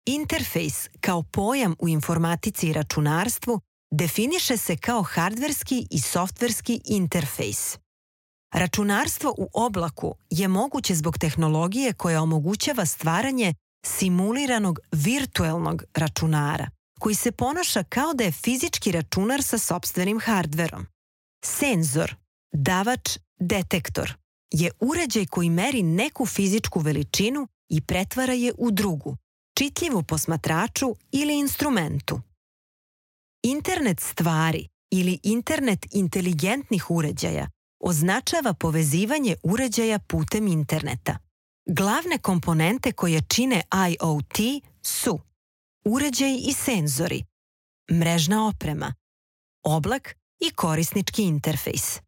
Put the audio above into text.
Interfejs kao pojam u informatici i računarstvu definiše se kao hardverski i softverski interfejs. Računarstvo u oblaku je moguće zbog tehnologije koja omogućava stvaranje simuliranog virtuelnog računara, koji se ponaša kao da je fizički računar sa sopstvenim hardverom. Senzor, davač, detektor je uređaj koji meri neku fizičku veličinu i pretvara je u drugu, čitljivu posmatraču ili instrumentu. Internet stvari ili internet inteligentnih uređaja označava povezivanje uređaja putem interneta. Glavne komponente koje čine IoT su uređaji i senzori, mrežna oprema, oblak i korisnički interfejs.